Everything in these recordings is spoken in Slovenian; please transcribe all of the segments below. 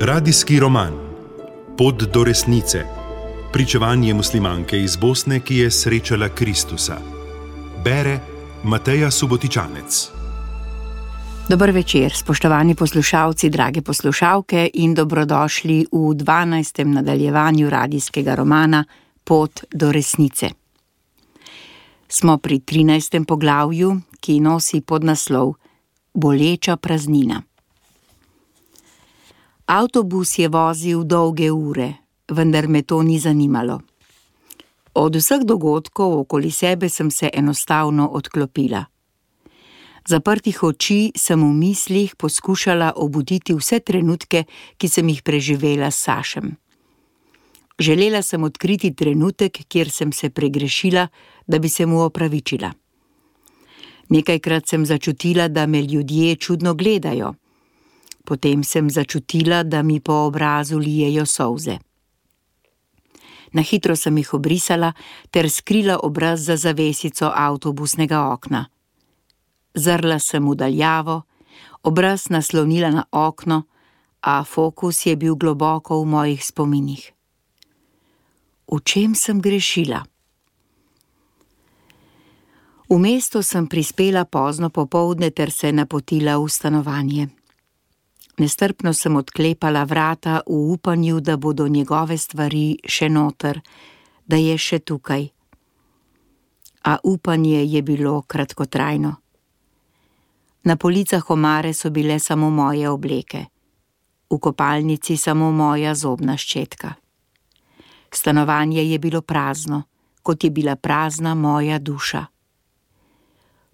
Radijski roman Pot do resnice. Pričevanje muslimanke iz Bosne, ki je srečala Kristusa. Bere Mateja Subotičanec. Dober večer, spoštovani poslušalci, drage poslušalke in dobrodošli v 12. nadaljevanju radijskega romana Pot do resnice. Smo pri 13. poglavju, ki nosi podnaslov Boleča praznina. Avtobus je vozil dolge ure, vendar me to ni zanimalo. Od vseh dogodkov okoli sebe sem se enostavno odklopila. Zaprtih oči sem v mislih poskušala obuditi vse trenutke, ki sem jih preživela s Sašem. Želela sem odkriti trenutek, kjer sem se pregrešila, da bi se mu opravičila. Nekajkrat sem začutila, da me ljudje čudno gledajo. Potem sem začutila, da mi po obrazu lijejo solze. Na hitro sem jih obrisala ter skrila obraz za zavesico avtobusnega okna. Zrla sem v daljavo, obraz naslonila na okno, a fokus je bil globoko v mojih spominih. V čem sem grešila? V mesto sem prispela pozno popoldne ter se napotila v stanovanje. Nestrpno sem odklepala vrata v upanju, da bodo njegove stvari še noter, da je še tukaj. A upanje je bilo kratkotrajno. Na policah omare so bile samo moje obleke, v kopalnici samo moja zobna ščetka. Stanovanje je bilo prazno, kot je bila prazna moja duša.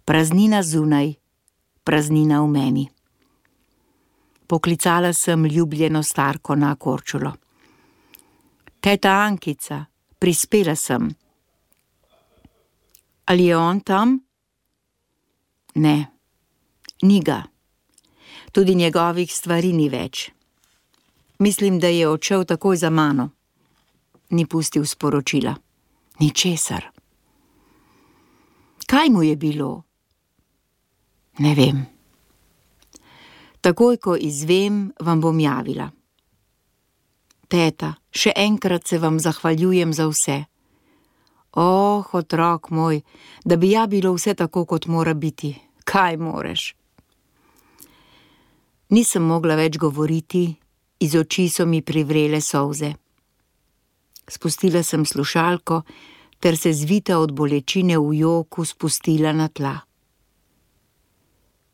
Praznina zunaj, praznina v meni. Poklicala sem ljubljeno starko na Korčulo. Teta Ankica, prispela sem. Ali je on tam? Ne, ni ga. Tudi njegovih stvari ni več. Mislim, da je odšel takoj za mano. Ni pustil sporočila. Ničesar. Kaj mu je bilo? Ne vem. Takoj, ko izvem, vam bom javila. Teta, še enkrat se vam zahvaljujem za vse. Otrok moj, da bi ja bilo vse tako, kot mora biti. Kaj moreš? Nisem mogla več govoriti, iz oči so mi privrele solze. Spustila sem slušalko, ter se zvita od bolečine v joku spustila na tla.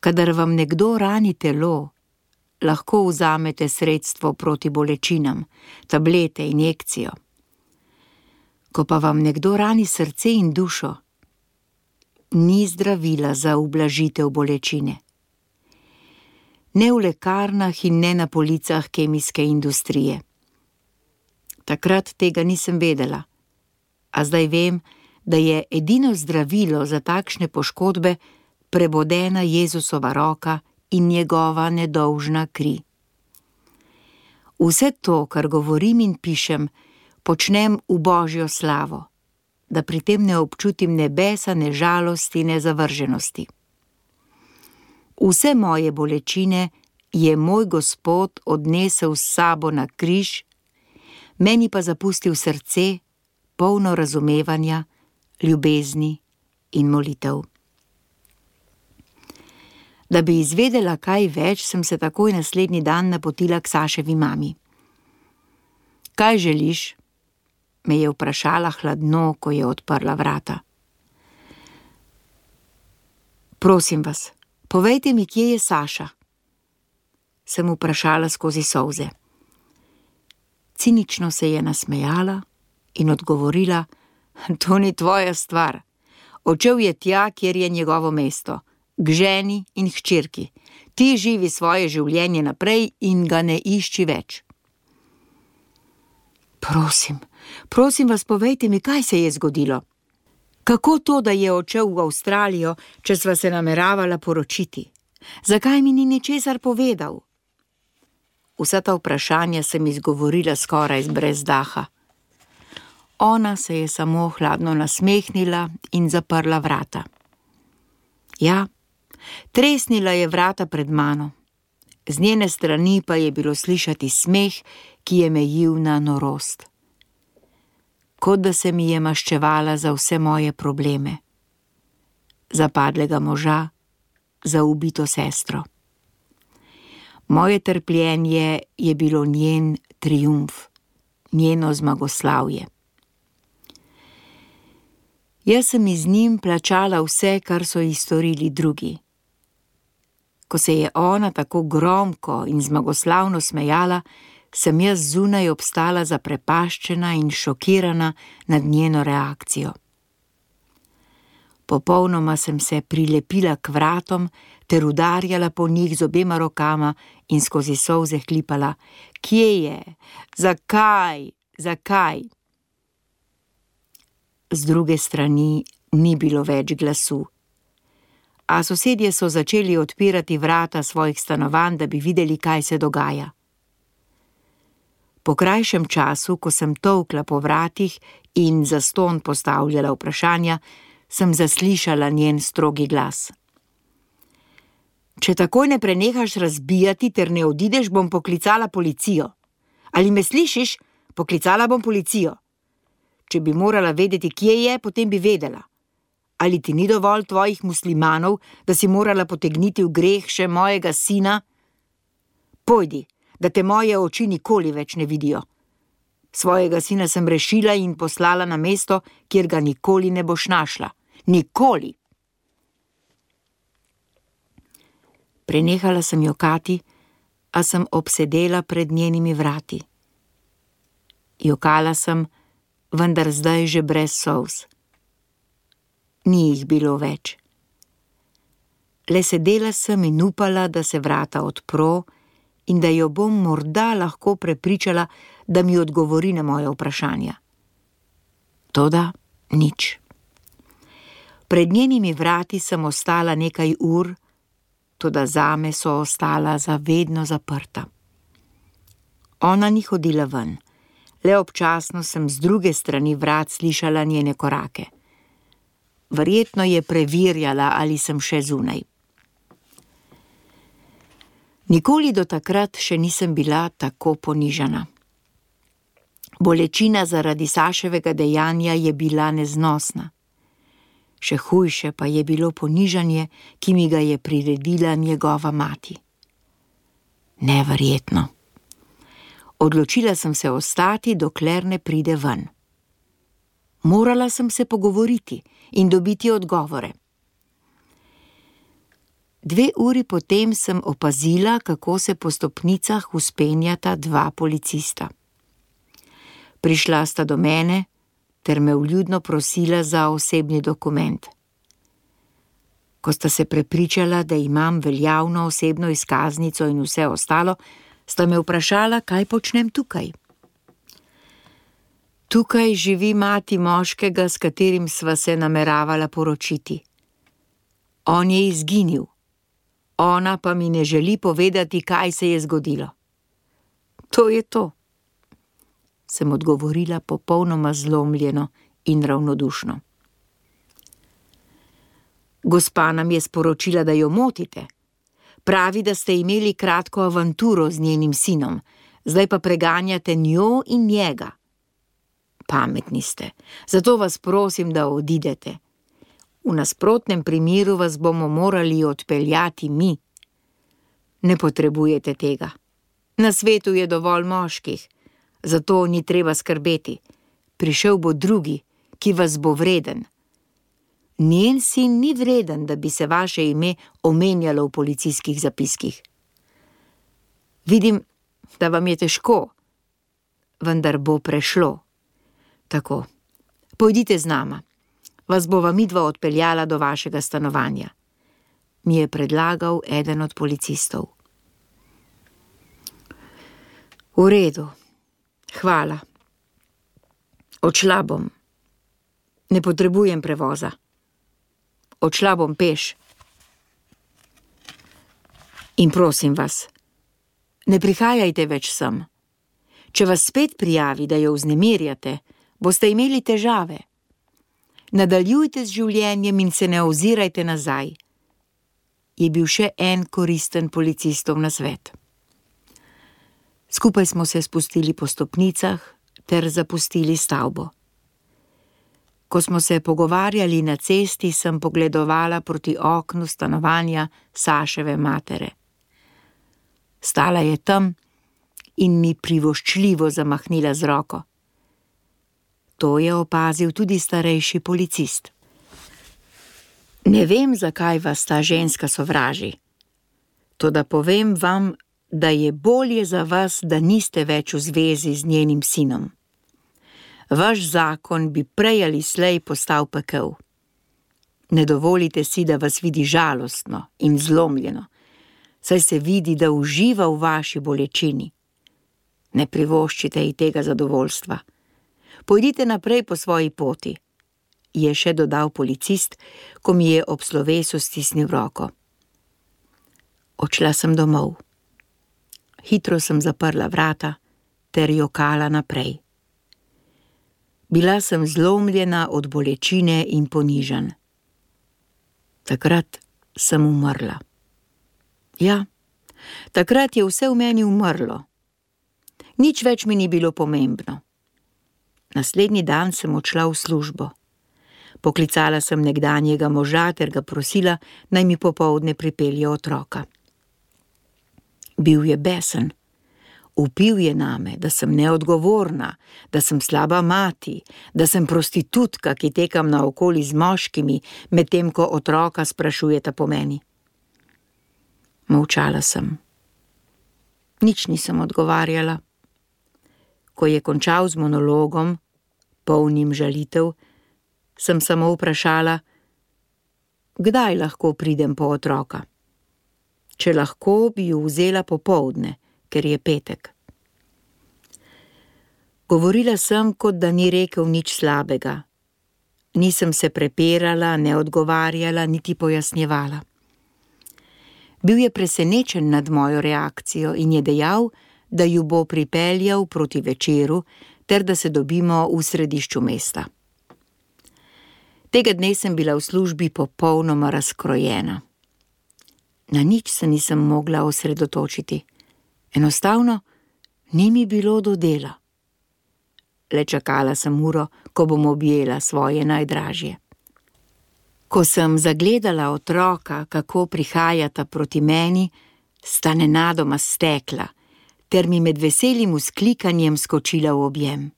Kadar vam nekdo rani telo, lahko vzamete sredstvo proti bolečinam, tablete, injekcijo. Ko pa vam nekdo rani srce in dušo, ni zdravila za ublažitev bolečine. Ne v lekarnah in ne na policah kemijske industrije. Takrat tega nisem vedela, a zdaj vem, da je edino zdravilo za takšne poškodbe prebodena Jezusova roka in njegova nedolžna kri. Vse to, kar govorim in pišem, počnem v Božjo slavo, da pri tem ne občutim ne besa, ne žalosti, ne zavrženosti. Vse moje bolečine je moj Gospod odnesel s sabo na križ, meni pa zapustil srce, polno razumevanja, ljubezni in molitev. Da bi izvedela kaj več, sem se takoj naslednji dan napotila k Saševi mami. Kaj želiš? Me je vprašala hladno, ko je odprla vrata. Prosim vas, povejte mi, kje je Saša? Sem vprašala skozi solze. Cinično se je nasmejala in odgovorila, to ni tvoja stvar. Odšel je tja, kjer je njegovo mesto. K ženi in hčerki. Ti živi svoje življenje naprej in ga ne išči več. Prosim vas, povejte mi, kaj se je zgodilo. Kako to, da je odšel v Avstralijo, če sva se nameravala poročiti? Zakaj mi ni ničesar povedal? Vsa ta vprašanja sem izgovorila skoraj brez daha. Ona se je samo hladno nasmehnila in zaprla vrata. Ja, tresnila je vrata pred mano. Z njene strani pa je bilo slišati smeh, ki je mejil na norost. Kot da se mi je maščevala za vse moje probleme. Za padlega moža, za ubito sestro. Moje trpljenje je bilo njen triumf, njeno zmagoslavje. Jaz sem iz njim plačala vse, kar so ji storili drugi. Ko se je ona tako gromko in zmagoslavno smejala, sem jaz zunaj obstala zaprepaščena in šokirana nad njeno reakcijo. Popolnoma sem se prilepila k vratom ter udarjala po njih z obema rokama in skozi solze hlipala: Kje je? Zakaj? Zakaj? Z druge strani ni bilo več glasu. A sosedje so začeli odpirati vrata svojih stanovanj, da bi videli, kaj se dogaja. Po krajšem času, ko sem tolkla po vratih in zastonj postavljala vprašanja, sem zaslišala njen strogi glas. Če takoj ne prenehaš razbijati ter ne odideš, bom poklicala policijo. Ali me slišiš? Poklicala bom policijo. Če bi morala vedeti, kje je, potem bi vedela. Ali ti ni dovolj tvojih muslimanov, da si morala potegniti v greh še mojega sina? Pojdi, da te moje oči nikoli več ne vidijo. Svojega sina sem rešila in poslala na mesto, kjer ga nikoli ne boš našla. Nikoli! Prenehala sem jokati, a sem obsedela pred njenimi vrati. Jokala sem, vendar zdaj že brez solz. Ni jih bilo več. Le sedela sem in upala, da se vrata odpro in da jo bom morda lahko prepričala, da mi odgovori na moje vprašanja. Toda nič. Pred njenimi vrati sem ostala nekaj ur, toda zame so ostala za vedno zaprta. Ona ni hodila ven, le občasno sem z druge strani vrat slišala njene korake. Verjetno je preverjala, ali sem še zunaj. Nikoli do takrat še nisem bila tako ponižana. Bolečina zaradi Saševega dejanja je bila neznosna. Še hujše pa je bilo ponižanje, ki mi ga je priredila njegova mati. Neverjetno. Odločila sem se ostati, dokler ne pride ven. Morala sem se pogovoriti in dobiti odgovore. 2 uri potem sem opazila, kako se po stopnicah vzpenjata 2 policista. Prišla sta do mene ter me vljudno prosila za osebni dokument. Ko sta se prepričala, da imam veljavno osebno izkaznico in vse ostalo, sta me vprašala, kaj počnem tukaj. Tukaj živi mati moškega, s katerim sva se nameravala poročiti. On je izginil. Ona pa mi ne želi povedati, kaj se je zgodilo. To je to, sem odgovorila popolnoma zlomljeno in ravnodušno. Gospa nam je sporočila, da jo motite. Pravi, da ste imeli kratko avanturo z njenim sinom, zdaj pa preganjate njo in njega. Pametni ste, zato vas prosim, da odidete. V nasprotnem primeru vas bomo morali odpeljati mi. Ne potrebujete tega. Na svetu je dovolj moških, zato ni treba skrbeti. Prišel bo drugi, ki vas bo vreden. Njen sin ni vreden, da bi se vaše ime omenjalo v policijskih zapiskih. Vidim, da vam je težko, vendar bo prešlo. Tako, pojdite z nama. Vas bova midva odpeljala do vašega stanovanja, mi je predlagal eden od policistov. V redu, hvala. Odšla bom. Ne potrebujem prevoza. Odšla bom peš. In prosim vas, ne prihajajte več sem. Če vas spet prijavi, da jo vznemirjate, boste imeli težave. Nadaljujte z življenjem in se ne ozirajte nazaj. je bil še en koristen policistov nasvet. Skupaj smo se spustili po stopnicah ter zapustili stavbo. Ko smo se pogovarjali na cesti, sem pogledovala proti oknu stanovanja Saševe matere. Stala je tam in mi privoščljivo zamahnila z roko. To je opazil tudi starejši policist. Ne vem, zakaj vas ta ženska sovraži. Toda povem vam, da je bolje za vas, da niste več v zvezi z njenim sinom. Vaš zakon bi prej ali slej postal pekel. Ne dovolite si, da vas vidi žalostno in zlomljeno, saj se vidi, da uživa v vaši bolečini. Ne privoščite ji tega zadovoljstva. Pojdite naprej po svoji poti, je še dodal policist, ko mi je ob slovesu stisnil roko. Odšla sem domov. Hitro sem zaprla vrata ter jokala naprej. Bila sem zlomljena od bolečine in ponižanj. Takrat sem umrla. Ja, takrat je vse v meni umrlo. Nič več mi ni bilo pomembno. Naslednji dan sem odšla v službo. Poklicala sem nekdanjega moža ter ga prosila, naj mi popoldne pripelje otroka. Bil je besen. Vpil je name, da sem neodgovorna, da sem slaba mati, da sem prostitutka, ki tekam naokoli z moškimi, medtem ko otroka sprašujeta po meni. Molčala sem. Nič nisem odgovarjala. Ko je končal z monologom, polnim žalitev, sem samo vprašala, kdaj lahko pridem po otroka. Če lahko, bi ju vzela popoldne, ker je petek. Govorila sem, kot da ni rekel nič slabega. Nisem se prepirala, ne odgovarjala, niti pojasnjevala. Bil je presenečen nad mojo reakcijo in je dejal, da ju bo pripeljal proti večeru, ter da se dobimo v središču mesta. Tega dne sem bila v službi popolnoma razkrojena. Na nič se nisem mogla osredotočiti. Enostavno ni mi bilo do dela. Le čakala sem uro, ko bom objela svoje najdražje. Ko sem zagledala otroka, kako prihajata proti meni, sta nenadoma stekla, ter mi med veselim vzklikanjem skočila v objem.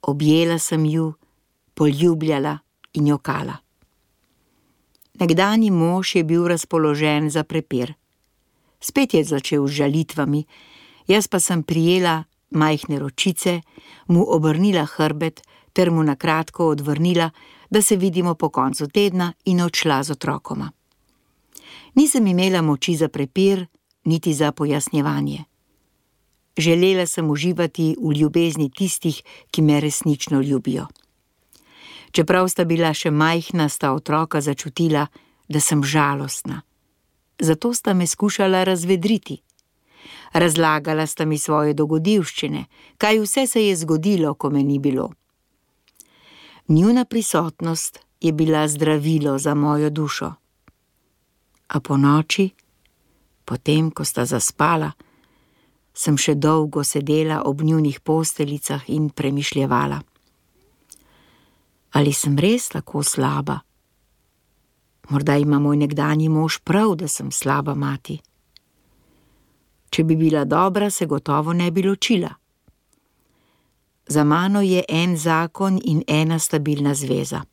Objela sem ju, poljubljala in jokala. Nekdanji mož je bil razpoložen za prepir. Spet je začel z žalitvami, jaz pa sem prijela majhne ročice, mu obrnila hrbet ter mu na kratko odvrnila, da se vidimo po koncu tedna in odšla z otrokoma. Nisem imela moči za prepir, niti za pojasnjevanje. Želela sem uživati v ljubezni tistih, ki me resnično ljubijo. Čeprav sta bila še majhna, sta otroka začutila, da sem žalostna. Zato sta me skušala razvedriti. Razlagala sta mi svoje dogodivščine, kaj vse se je zgodilo, ko me ni bilo. Njuna prisotnost je bila zdravilo za mojo dušo. A ponoči, potem, ko sta zaspala, sem še dolgo sedela ob njunih posteljicah in premišljevala. Ali sem res tako slaba? Morda ima moj nekdanji mož prav, da sem slaba mati. Če bi bila dobra, se gotovo ne bi ločila. Za mano je en zakon in ena stabilna zveza.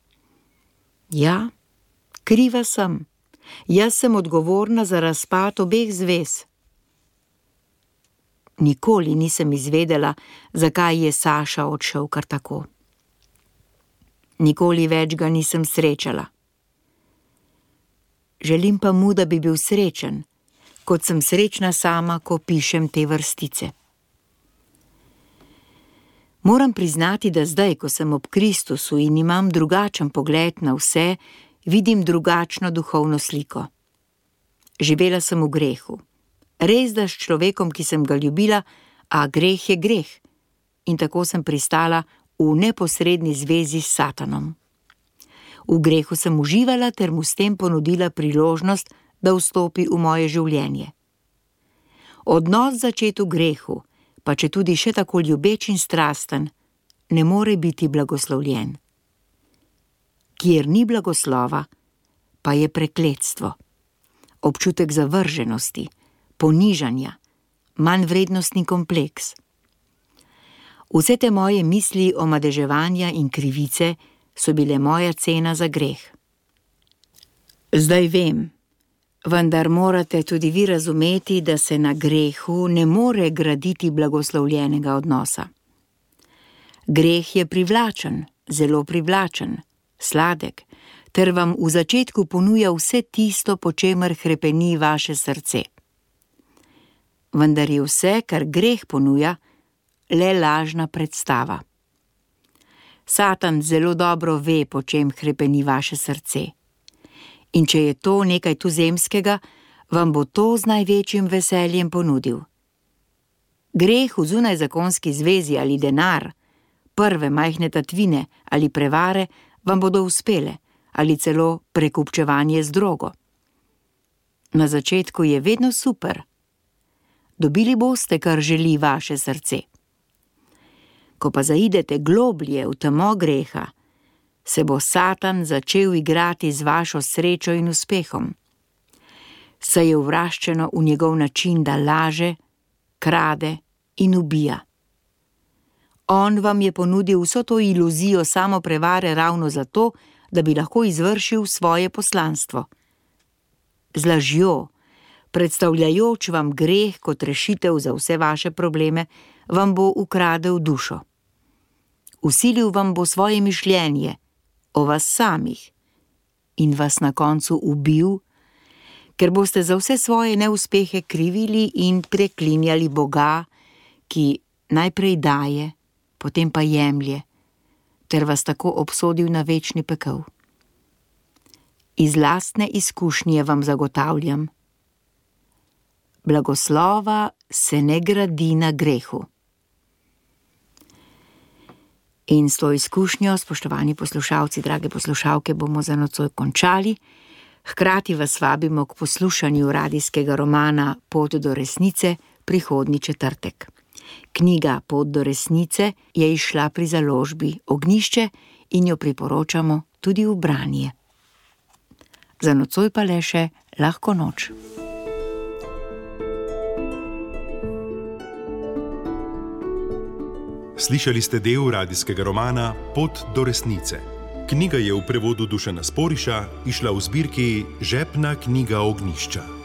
Ja, kriva sem. Jaz sem odgovorna za razpad obeh zvez. Nikoli nisem izvedela, zakaj je Saša odšel kar tako. Nikoli več ga nisem srečala. Želim pa mu, da bi bil srečen, kot sem srečna sama, ko pišem te vrstice. Moram priznati, da zdaj, ko sem ob Kristusu in imam drugačen pogled na vse, vidim drugačno duhovno sliko. Živela sem v grehu. Res da s človekom, ki sem ga ljubila, a greh je greh. In tako sem pristala v neposredni zvezi s Satanom. V grehu sem uživala ter mu s tem ponudila priložnost, da vstopi v moje življenje. Odnos začet v grehu, pa če tudi še tako ljubeč in strasten, ne more biti blagoslovljen. Kjer ni blagoslova, pa je prekletstvo, občutek zavrženosti, ponižanja, manjvrednostni kompleks. Vse te moje misli o madeževanja in krivice so bile moja cena za greh. Zdaj vem, vendar morate tudi vi razumeti, da se na grehu ne more graditi blagoslovljenega odnosa. Greh je privlačen, zelo privlačen, sladek, ter vam v začetku ponuja vse tisto, po čemer hrepeni vaše srce. Vendar je vse, kar greh ponuja, le lažna predstava. Satan zelo dobro ve, po čem hrepeni vaše srce. In če je to nekaj tuzemskega, vam bo to z največjim veseljem ponudil. Greh v zunajzakonski zvezi ali denar, prve majhne tatvine ali prevare vam bodo uspele, ali celo prekupčevanje z drogo. Na začetku je vedno super. Dobili boste, kar želi vaše srce. Ko pa zaidete globlje v temo greha, se bo Satan začel igrati z vašo srečo in uspehom. Saj je uvraščeno v njegov način, da laže, krade in ubija. On vam je ponudil vso to iluzijo samoprevare ravno zato, da bi lahko izvršil svoje poslanstvo. Z lažjo, predstavljajoč vam greh kot rešitev za vse vaše probleme, vam bo ukradel dušo. Vsilil vam bo svoje mišljenje o vas samih in vas na koncu ubil, ker boste za vse svoje neuspehe krivili in preklinjali Boga, ki najprej daje, potem pa jemlje, ter vas tako obsodil na večni pekel. Iz lastne izkušnje vam zagotavljam, blagoslova se ne gradi na grehu. In s to izkušnjo, spoštovani poslušalci, drage poslušalke, bomo za nocoj končali. Hkrati vas vabimo k poslušanju radijskega romana Pot do resnice prihodnji četrtek. Knjiga Pot do resnice je izšla pri založbi Ognjišče in jo priporočamo tudi v branje. Za nocoj pa le še lahko noč. Slišali ste del radijskega romana Pot do resnice. Knjiga je v prevodu Dušana Sporiša izšla v zbirki Žepna knjiga Ognjišča.